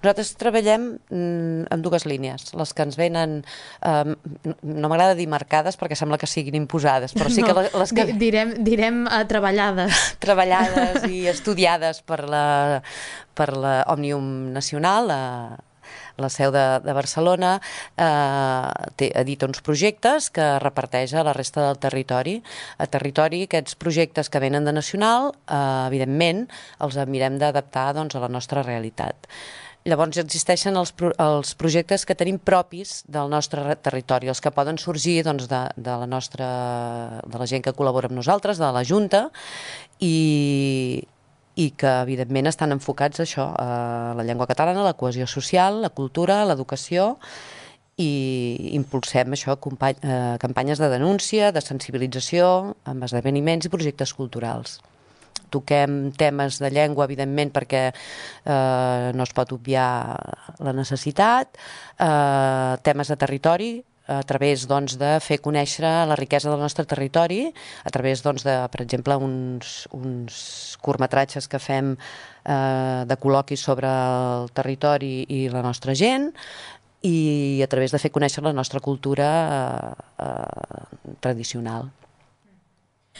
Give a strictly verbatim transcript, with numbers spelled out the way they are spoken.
Nosaltres treballem mm, en dues línies. Les que ens venen, eh, no m'agrada dir marcades perquè sembla que siguin imposades, però sí que No, les que... di direm, direm uh, treballades. treballades i estudiades per la, per la Òmnium Nacional, la, la seu de, de Barcelona, eh, té, edita uns projectes que reparteix a la resta del territori. A territori, aquests projectes que venen de Nacional, eh, evidentment, els mirem d'adaptar doncs, a la nostra realitat. Llavors existeixen els, pro els projectes que tenim propis del nostre territori, els que poden sorgir doncs, de, de, la nostra, de la gent que col·labora amb nosaltres, de la Junta, i, i que evidentment estan enfocats a això, a la llengua catalana, la cohesió social, la cultura, l'educació, i impulsem això, eh, campanyes de denúncia, de sensibilització, amb esdeveniments i projectes culturals. Toquem temes de llengua, evidentment, perquè eh, no es pot obviar la necessitat, eh, temes de territori, a través doncs, de fer conèixer la riquesa del nostre territori, a través, doncs, de, per exemple, uns, uns curtmetratges que fem eh, de col·loquis sobre el territori i la nostra gent, i a través de fer conèixer la nostra cultura eh, eh, tradicional.